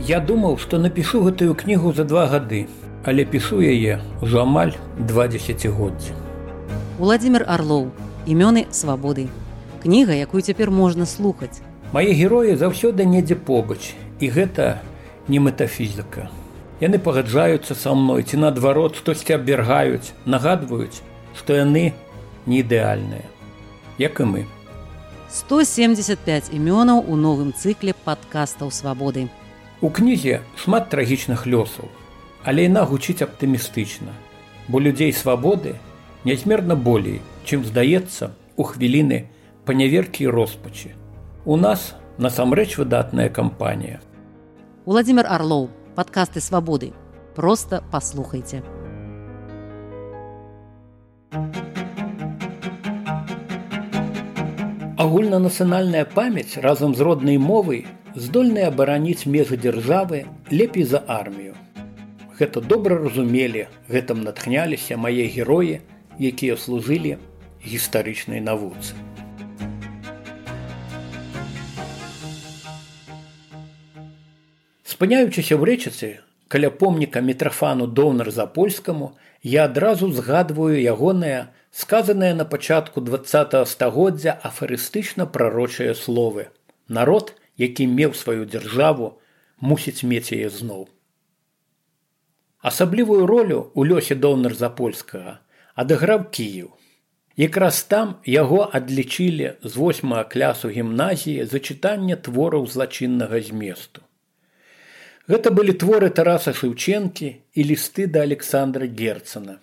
Я думаў, што напішу гэтую кнігу за 2 гады, але пішу яе ўжо амаль 2 дзесяцігоддзі. Уладзімір Арлоў. Імёны свабоды. Кніга, якую цяпер можна слухаць. Мае героі заўсёды недзе побач, і гэта не метафізіка. Яны пагаджаюцца са мной, ці наадварот штосьці абвяргаюць, нагадваюць, што яны не ідэальныя, як і мы. 175 імёнаў у новым цыкле падкастаў свабоды. У кнізе шмат трагічных лёсаў, але яна гучыць аптымістычна, бо людзей свабоды нязмерна болей, чым здаецца у хвіліны паняверкі і роспачы. У нас насамрэч выдатная кампанія. Уладзімір Арлоў. Падкасты свабоды. Проста паслухайце. Агульнанацыянальная памяць разам з роднай мовай здольная абараніць межы дзяржавы лепей за армію. Гэта добра разумелі, гэтым натхняліся мае героі, якія служылі гістарычнай навуцы. Спыняючыся ў рэчыцы, каля помніка Мітрафану Доўнар-Запольскаму, я адразу згадваю ягоныя, сказаныя на пачатку 20-го стагоддзя афарыстычна-прарочыя словы. Народ, які меў сваю дзяржаву, мусіць мець яе зноў. Асаблівую ролю ў лёсе Доўнар-Запольскага адыграў Кіеў. Якраз там яго адлічылі з 8 клясу гімназіі за чытанне твораў злачыннага зместу. Гэта былі творы Тараса Шэўчэнкі і лісты да Александра Герцена.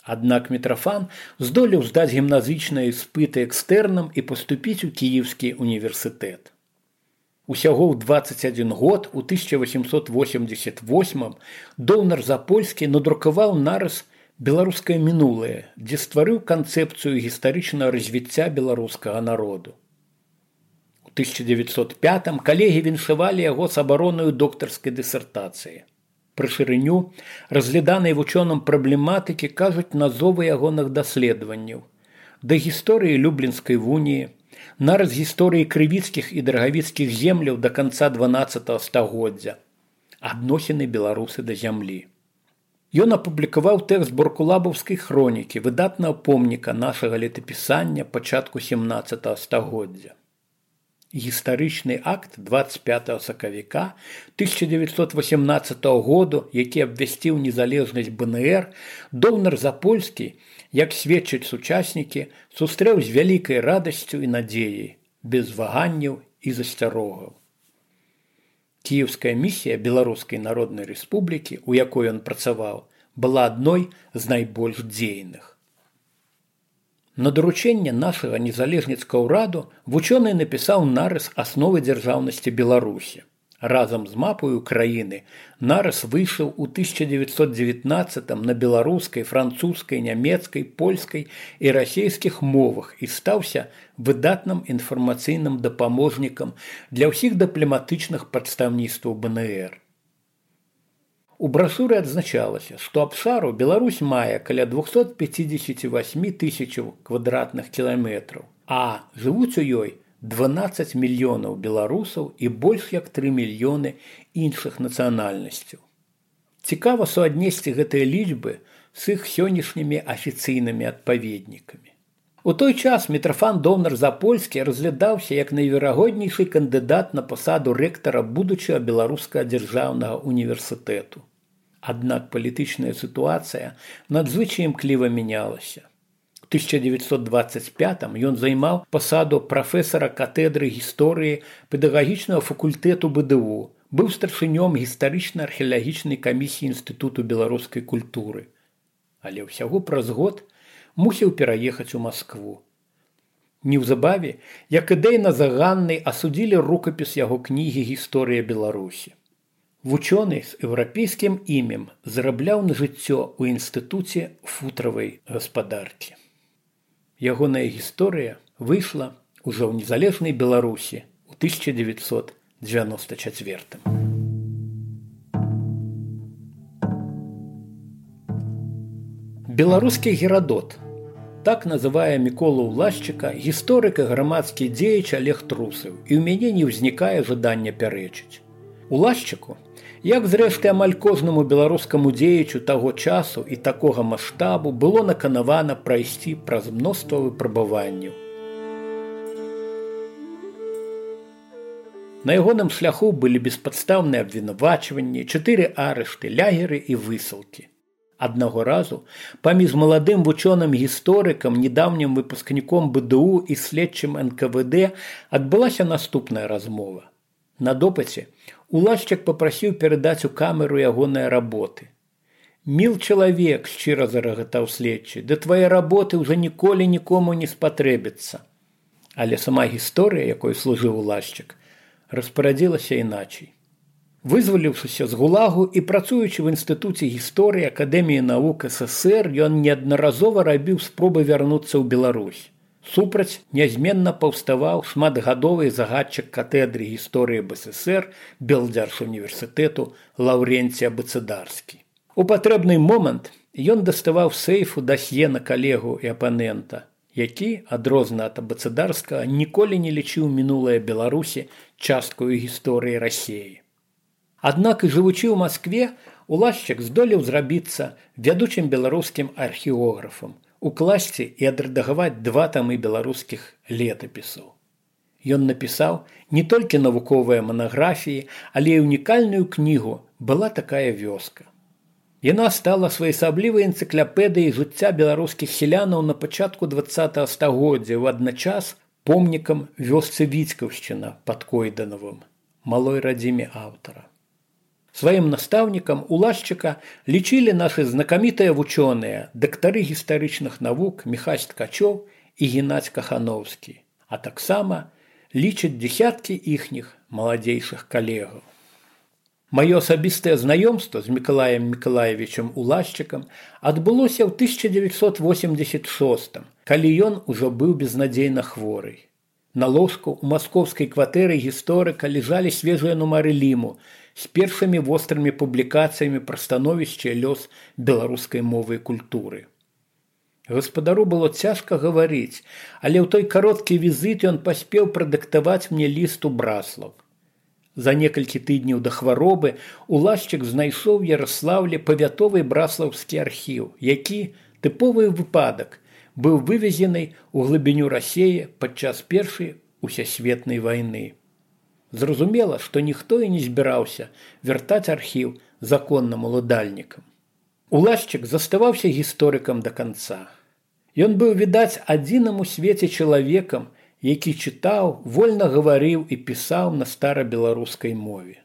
Аднак Мітрафан здолеў здаць гімназічныя іспыты экстэрнам і паступіць у Кіеўскі універсітэт. Усяго ў 21 год, у 1888-м, Доўнар-Запольскі надрукаваў нарыс «Беларускае мінулае», дзе стварыў канцэпцыю гістарычнага развіцця беларускага народу. У 1905-м калегі віншавалі яго з абаронаю доктарскай дысертацыі. Пры шырыню, разгляданай вучоным праблематыкі, кажуць назовы ягоных даследаванняў. Да гісторыі Люблінскай вуніі, нараз гісторыі крывіцкіх і драгавіцкіх земляў да канца 12-го стагоддзя, адносіны беларусы да зямлі. Ён апублікаваў тэкст Боркулабаўскай хронікі, выдатнага помніка нашага летапісання пачатку 17-го стагоддзя. Гістарычны акт 25 сакавіка 1918 году, які абвясціў незалежнасць БНР, Доўнар-Запольскі, як сведчаць сучаснікі, сустрэў з вялікай радасцю і надзеяй, без ваганняў і засцярогаў. Кіеўская місія Беларускай Народнай Рэспублікі, у якой ён працаваў, была адной з найбольш дзейных. На даручэнне нашага незалежніцкага ўраду вучоны напісаў нарыс асновы дзяржаўнасці Беларусі. Разам з мапаю краіны нарыс выйшаў у 1919-м на беларускай, французскай, нямецкай, польскай і расейскіх мовах і стаўся выдатным інфармацыйным дапаможнікам для ўсіх дыпламатычных прадстаўніцтваў БНР. У брашуры адзначалася, што абшару Беларусь мае каля 258 тысячаў квадратных кіламетраў, а жывуць у ёй 12 мільёнаў беларусаў і больш як 3 мільёны іншых нацыянальнасцяў. Цікава суаднесці гэтыя лічбы з іх сённяшнімі афіцыйнымі адпаведнікамі. У той час Мітрафан Доўнар-Запольскі разглядаўся як найверагоднейшы кандыдат на пасаду рэктара будучага беларускага дзяржаўнага універсітэту. Аднак палітычная сітуацыя надзвычай імкліва мянялася. У 1925-м ён займаў пасаду прафесара катедры гісторыі педагагічнага факультэту БДУ, быў старшынём гістарычна-археалагічнай камісіі Інстытуту беларускай культуры. Але ўсяго праз год мусіў пераехаць у Маскву. Неўзабаве, як ідэйна заганнай, асудзілі рукапіс яго кнігі «Гісторыя Беларусі». Вучоны з еўрапейскім імем зарабляў на жыццё ў інстытуце футравай гаспадаркі. Ягоная гісторыя выйшла ўжо ў незалежнай Беларусі ў 1994-м. Беларускі Герадот. Так называе Міколу Ўлашчыка гісторык і грамадскі дзеяч Олег Трусаў, і ў мяне не ўзнікае жадання пярэчыць. Улашчыку, як зрэшты амаль кожнаму беларускаму дзеячу таго часу і такога маштабу, было наканавана прайсці праз мноства выпрабаванняў. На ягоным шляху былі беспадстаўныя абвінавачванні, 4 арышты, лягеры і высылкі. Аднаго разу паміж маладым вучоным-гісторыкам, недаўнім выпускніком БДУ і следчым НКВД адбылася наступная размова. На допыце Улашчык папрасіў перадаць у камеру ягоныя работы. «Міл чалавек», – шчыра зарагатаў следчы, – «да твае работы ўжо ніколі нікому не спатрэбіцца». Але сама гісторыя, якой служыў Улашчык, распарадзілася іначай. Вызваліўшыся з ГУЛАГу і працуючы в Інстытуце гісторыі Акадэміі навук СССР, ён неаднаразова рабіў спробы вярнуцца ў Беларусь. Супраць нязменна паўставаў шматгадовы загадчык катедры гісторыі БССР Белдзяржуніверсітэту Лаўренцій Абыцыдарскі. У патрэбны момант ён даставаў з сейфу дасье на калегу і апанента, які, адрозна ад Абыцыдарскага, ніколі не лічыў мінулае Беларусі часткаю гісторыі Расіі. Аднак і жывучы ў Маскве, Улашчык здолеў зрабіцца вядучым беларускім археографам, укласці і адрэдагаваць 2 тамы беларускіх летапісаў. Ён напісаў не толькі навуковыя манаграфіі, але і унікальную кнігу «Была такая вёска». Яна стала своеасаблівай энцыклапедыяй жыцця беларускіх сялянаў на пачатку 20-го стагоддзя, у адначас помнікам вёсцы Віцкаўшчына пад Койданавым, малой радзіме аўтара. Сваім настаўнікам Улашчыка лічылі нашы знакамітыя вучоныя, дактары гістарычных навук Міхась Ткачоў і Геннадзь Кахановскі, а таксама лічаць дзесяткі іхніх маладзейшых калегаў. Маё асабістае знаёмства з Мікалаем Мікалаевічам Улашчыкам адбылося ў 1986, калі ён ужо быў безнадзейна хворы. На ложку ў маскоўскай кватэры гісторыка ляжалі свежыя нумары Ліму з першымі вострымі публікацыямі пра становішча і лёс беларускай мовы і культуры. Гаспадару было цяжка гаварыць, але ў той кароткі візіт ён паспеў прадыктаваць мне ліст у Браслаў. За некалькі тыдняў да хваробы Улашчык знайшоў у Яраслаўлі павятовы браслаўскі архіў, які, тыповы выпадак, быў вывезены ў глыбіню Расіі падчас Першай усесветнай вайны. Зразумела, што ніхто і не збіраўся вяртаць архіў законным уладальнікам. Улашчык заставаўся гісторыкам да канца. Ён быў, відаць, адзіным у свеце чалавекам, які чытаў, вольна гаварыў і пісаў на старабеларускай мове.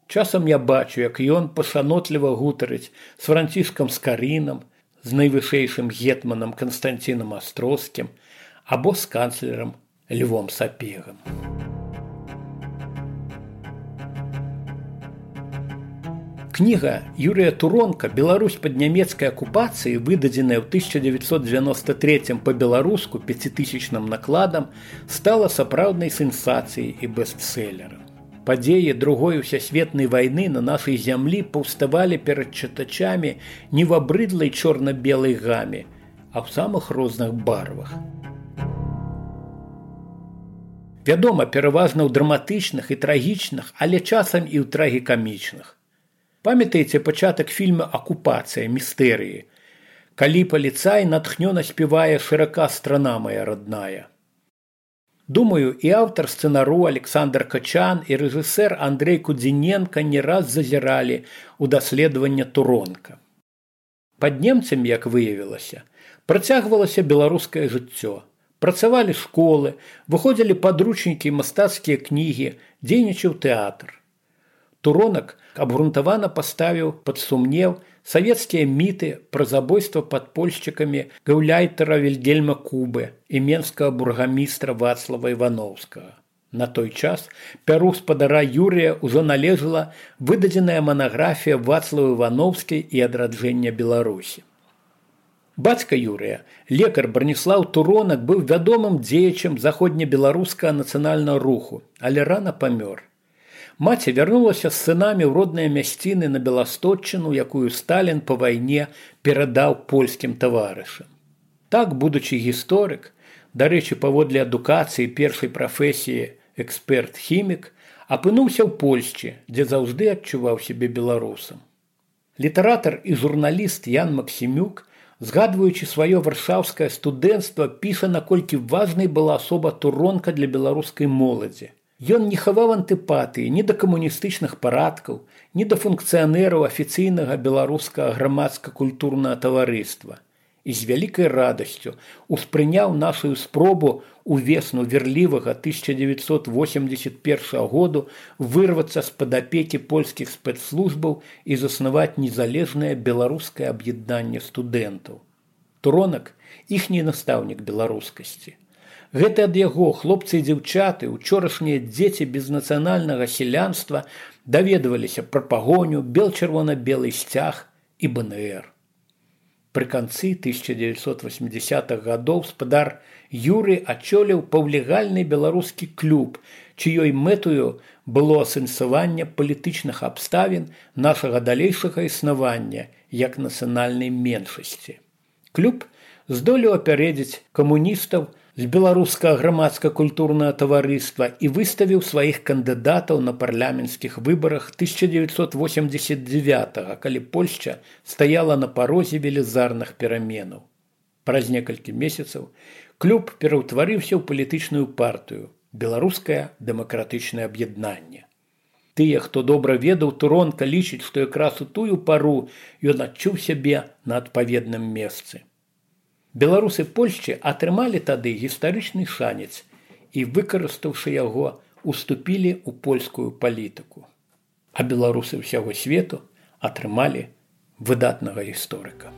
Часам я бачу, як ён пашанотліва гутарыць з Францішкам Скарынам, з найвышэйшым гетманам Канстанцінам Астроскім або з канцлерам Львом Сапегам. Кніга Юрія Туронка «Беларусь пад нямецкай акупацыяй», выдадзеная ў 1993 па-беларуску 5000-ным накладам, стала сапраўднай сенсацыяй і бестселерам. Падзеі другой усесветнай вайны на нашай зямлі паўставалі перад чытачамі не в абрыдлай чорна-белай гаме, а ў самых розных барвах. Вядома, пераважна ў драматычных і трагічных, але часам і ў трагікамічных. Памятаеце пачатак фільма «Акупацыя. Містэрыі», калі паліцай натхнёна спявае «Шырака страна моя родная». Думаю, і аўтар сцэнару Александр Качан, і рэжысэр Андрэй Кудзіненка не раз зазіралі ў даследаванне Туронка. Пад немцамі, як выявілася, працягвалася беларускае жыццё. Працавалі школы, выходзілі падручнікі і мастацкія кнігі, дзейнічаў тэатр. Туронак абгрунтавана паставіў пад сумнеў савецкія міты пра забойства падпольшчыкамі гаўляйтара Вільгельма Кубы і менскага бургамістра Вацлава Івановскага. На той час пяру спадара Юрія ўжо належала выдадзеная манаграфія Вацлава Івановскай і адраджэння Беларусі. Бацька Юрія, лекар Браніслаў Туронак, быў вядомым дзеячам заходнебеларускага нацыянальнага руху, але рана памёр. Маці вярнулася з сынамі ў родныя мясціны на Беластотчыну, якую Сталін па вайне перадаў польскім таварышам. Так, будучы гісторык, дарэчы, паводле адукацыі першай прафесіі эксперт-хімік, апынуўся ў Польшчы, дзе заўжды адчуваў сябе беларусам. Літаратар і журналіст Ян Максімюк, згадваючы сваё варшаўскае студэнцтва, піша, наколькі важнай была асоба Туронка для беларускай моладзі. Ён не хаваў антыпатыі ні да камуністычных парадкаў, ні да функцыянераў афіцыйнага беларускага грамадска-культурнага таварыства і з вялікай радасцю успрыняў нашу спробу увесну верлівага 1981 году вырвацца з-пад апекі польскіх спецслужбаў і заснаваць незалежнае беларускае аб'яднанне студэнтаў. Туронак – іхні настаўнік беларускасці. Гэта ад яго хлопцы і дзяўчаты, учорашнія дзеці безнацыянальнага сялянства даведваліся пра пагоню, бел-чырвона-белы сцяг і БНР. Пры канцы 1980-х гадоў спадар Юры ачоліў паўлегальны беларускі клуб, чыёй мэтаю было асэнсаванне палітычных абставін нашага далейшага існавання як нацыянальнай меншасці. Клуб здолеў апярэдзіць камуністаў з беларускага грамадска-культурнага таварыства і выставіў сваіх кандыдатаў на парламенцкіх выбарах 1989, калі Польшча стаяла на парозе велізарных пераменаў. Праз некалькі месяцаў клуб пераўтварыўся ў палітычную партыю «Беларускае дэмакратычнае аб'яднанне». Тыя, хто добра ведаў Туронка, лічаць, што якраз у тую пару ён адчуў сябе на адпаведным месцы. Беларусы Польшчы атрымалі тады гістарычны шанец і, выкарыстаўшы яго, уступілі ў польскую палітыку. А беларусы ўсяго свету атрымалі выдатнага гісторыка.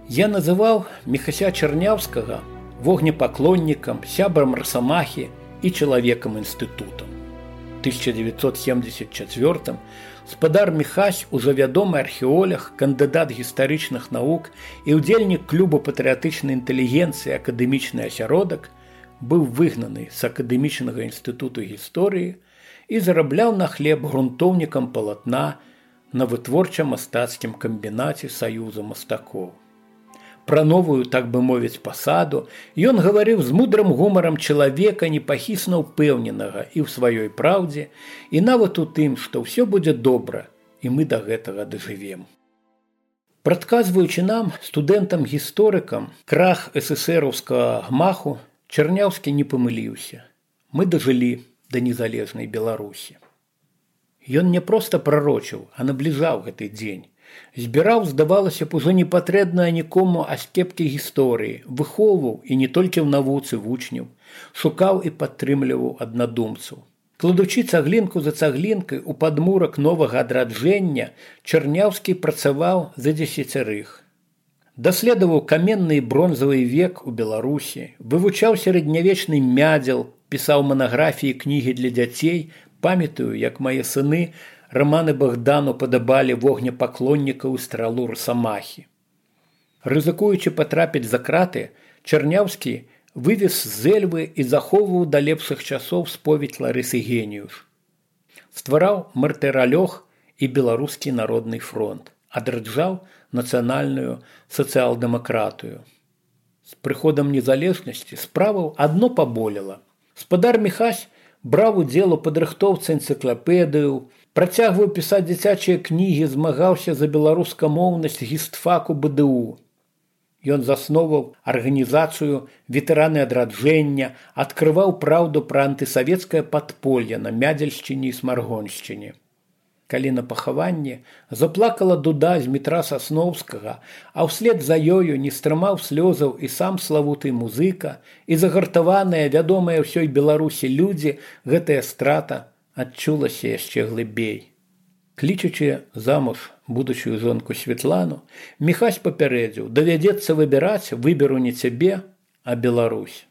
Я называў Міхася Чарняўскага вогнепаклоннікам, сябрам Расамахі і чалавекам інстытутам. 1974 спадар Міхась, ужо вядомы археолог, кандыдат гістарычных навук і ўдзельнік клуба патрыятычнай інтэлігенцыі «Акадэмічны асяродак», быў выгнаны з Акадэмічнага інстытуту гісторыі і зарабляў на хлеб грунтоўнікам палатна на вытворча-мастацкім камбінаце Саюза мастакоў. Пра новую, так бы мовіць, пасаду ён гаварыў з мудрым гумарам чалавека, непахісна ўпэўненага і ў сваёй праўдзе, і нават у тым, што ўсё будзе добра, і мы да гэтага дажывем. Прадказваючы нам, студэнтам-гісторыкам, крах эсэсэраўскага гмаху, Чарняўскі не памыліўся. Мы дажылі да незалежнай Беларусі. Ён не проста прарочыў, а набліжаў гэты дзень. Збіраў, здавалася б, ужо непатрэбнае нікому аскепкі гісторыі, выхоўваў і не толькі ў навуцы вучняў, шукаў і падтрымліваў аднадумцаў. Кладучы цаглінку за цаглінкай у падмурак новага адраджэння, Чарняўскі працаваў за дзесяцярых. Даследаваў каменны і бронзавы век у Беларусі, вывучаў сярэднявечны мядзел, пісаў манаграфіі, кнігі для дзяцей, памятаю, як мае сыны раманы Багдану падабалі вогнепаклоннікаў і стралу Расамахі. Рызыкуючы патрапіць за краты, Чарняўскі вывез з Эльвы і захоўваў да лепшых часоў споведь Ларысы Геніюш. Ствараў мартыралёг і Беларускі народны фронт, адраджаў нацыянальную сацыял-дэмакратыю. З прыходам незалежнасці справаў адно паболела. Спадар Міхась браў удзел у падрыхтоўцы энцыклапедыю, працягваў пісаць дзіцячыя кнігі, змагаўся за беларускамоўнасць гістфаку БДУ. Ён засноваў арганізацыю «Ветэраны адраджэння», адкрываў праўду пра антысавецкае падполле на Мядзельшчыне і Смаргоншчыне. Калі на пахаванне заплакала дуда з метра Сасноўскага, а ўслед за ёю не стрымаў слёзаў і сам славуты музыка, і загартаваныя, вядомыя ўсёй Беларусі людзі, гэтая страта адчулася яшчэ глыбей. Клічучы замуж будучую жонку Светлану, Міхась папярэдзіў: давядзецца выбіраць, выберу не цябе, а Беларусь.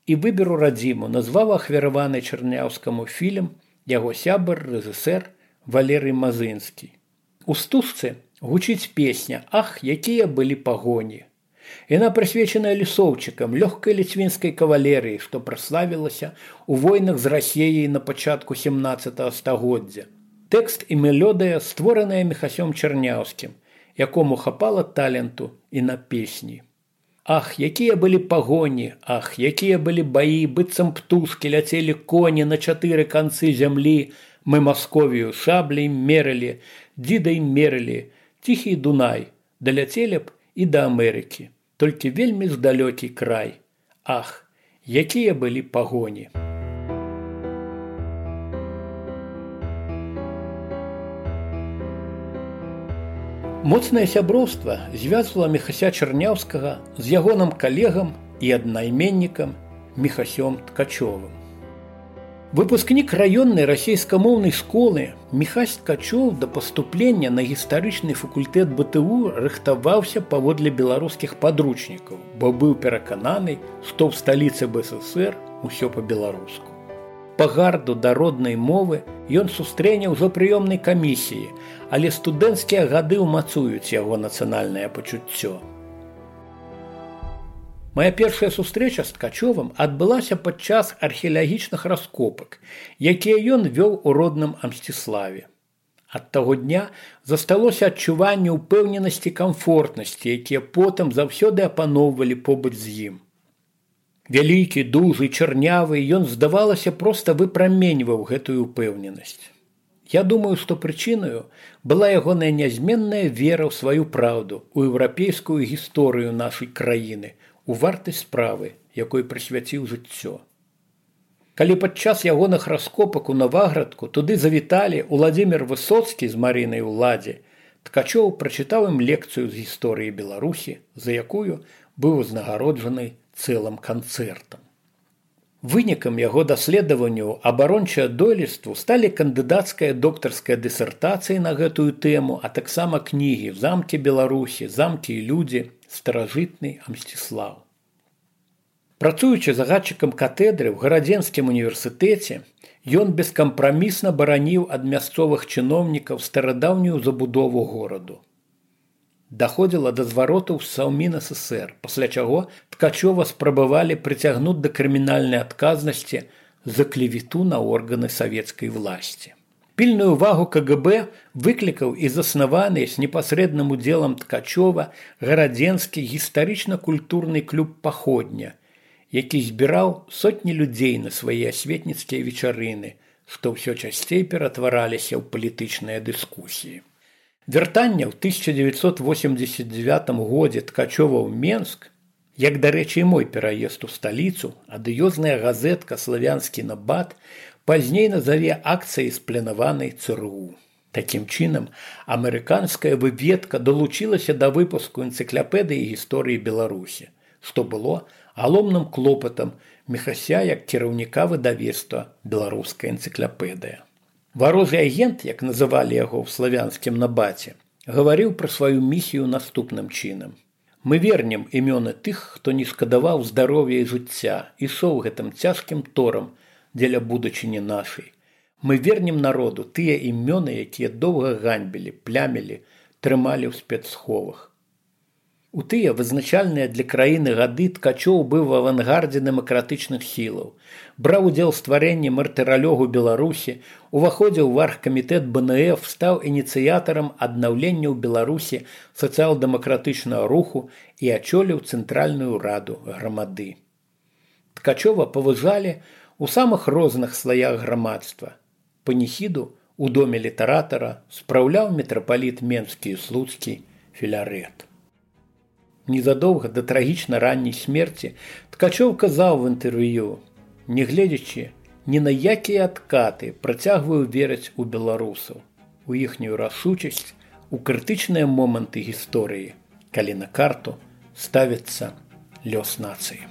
І выберу радзіму назваў ахвяраваны Чарняўскаму фільм яго сябар, рэжысэр Валерый Мазынскі. У стужцы гучыць песня «Ах, якія былі пагоні». Яна прысвечаная лісоўчыкам, лёгкай ліцвінскай кавалерыі, што праславілася ў войнах з Расіяй на пачатку 17 стагоддзя. Тэкст і мелодыя створаныя Міхасём Чарняўскім, якому хапала таленту і на песні. Ах, якія былі пагоні, ах, якія былі баі, быццам птушкі ляцелі коні на 4 канцы зямлі, мы Масковію шаблей мерылі, дзідай мерылі, ціхі Дунай, даляцелі б і да Амерыкі, толькі вельмі здалёкі край. Ах, якія былі пагоні. Моцнае сяброўства звязвала Міхася Чарняўскага з ягоным калегам і аднайменнікам Міхасём Ткачовым. Выпускнік раённай расейскамоўнай школы Міхась Ткачоў да паступлення на гістарычны факультэт БТУ рыхтаваўся паводле беларускіх падручнікаў, бо быў перакананы, што ў сталіцы БССР усё па-беларуску. Пагарду да роднай мовы ён сустрэне ўжо прыёмнай камісіі, але студэнцкія гады ўмацуюць яго нацыянальнае пачуццё. Мая першая сустрэча з Ткачовым адбылася падчас археалагічных раскопак, якія ён вёў у родным Амсціславе. Ад таго дня засталося адчуванне ўпэўненасці і камфортнасці, якія потым заўсёды апаноўвалі побач з ім. Вялікі, дужы, чарнявы, ён, здавалася, проста выпраменьваў гэтую ўпэўненасць. Я думаю, што прычынаю была ягоная нязменная вера ў сваю праўду, у еўрапейскую гісторыю нашай краіны, у вартасць справы, якой прысвяціў жыццё. Калі падчас ягоных раскопак у Наваградку туды завіталі Уладзімір Высоцкі з Марынай Уладзе, Ткачоў прачытаў ім лекцыю з гісторыі Беларусі, за якую быў узнагароджаны цэлым канцэртам. Вынікам яго даследаванняў абарончае дойлідству сталі кандыдацкая доктарская дысертацыя на гэтую тэму, а таксама кнігі «Замкі Беларусі», «Замкі і людзі», «Старажытны Амсціслаў». Працуючы загадчыкам катедры ў Гарадзенскім універсітэце, ён бескампрамісна бараніў ад мясцовых чыноўнікаў старадаўнюю забудову гораду. Даходзіла да зваротаў з Саўмін ССР, пасля чаго Ткачова спрабавалі прыцягнуць да крымінальнай адказнасці за клевету на органы савецкай власці. Пільную ўвагу КГБ выклікаў і заснаваны з непасрэдным удзелам Ткачова гарадзенскі гістарычна-культурны клуб «Паходня», які збіраў сотні людзей на свае асветніцкія вечарыны, што ўсё часцей ператвараліся ў палітычныя дыскусіі. Вяртанне ў 1989 годзе Ткачова ў Менск, як, дарэчы, і мой пераезд у сталіцу, адыёзная газетка «Славянскі набат» пазней назаве акцыяй спланаванай ЦРУ. Такім чынам, амерыканская выведка далучылася да выпуску энцыклапедыі гісторыі Беларусі, што было галоўным клопатам Міхася як кіраўніка выдавецтва «Беларуская энцыклапедыя». Варожы агент, як называлі яго ў славянскім набаце, гаварыў пра сваю місію наступным чынам. Мы вернем імёны тых, хто не шкадаваў здароўя і жыцця, ішоў гэтым цяжкім торам дзеля будучыні нашай. Мы вернем народу тыя імёны, якія доўга ганьбілі, плямілі, трымалі ў спецсховах. У тыя вызначальныя для краіны гады Ткачоў быў в авангардзе дэмакратычных сілаў, браў удзел у стварэнні мартыралёгу Беларусі, уваходзіў у аргкамітэт БНФ, стаў ініцыятарам аднаўлення ў Беларусі сацыял-дэмакратычнага руху і ачоліў цэнтральную раду грамады. Ткачова паважалі ў самых розных слаях грамадства. Паніхіду ў доме літаратара спраўляў мітрапаліт Менскі і Слуцкі Філарэт. Незадоўга да трагічна ранняй смерці Ткачоў казаў в інтэрв'ю: «Нягледзячы ні на якія адкаты, працягваю верыць у беларусаў, у іхнюю рашучасць, у крытычныя моманты гісторыі, калі на карту ставіцца лёс нацыі».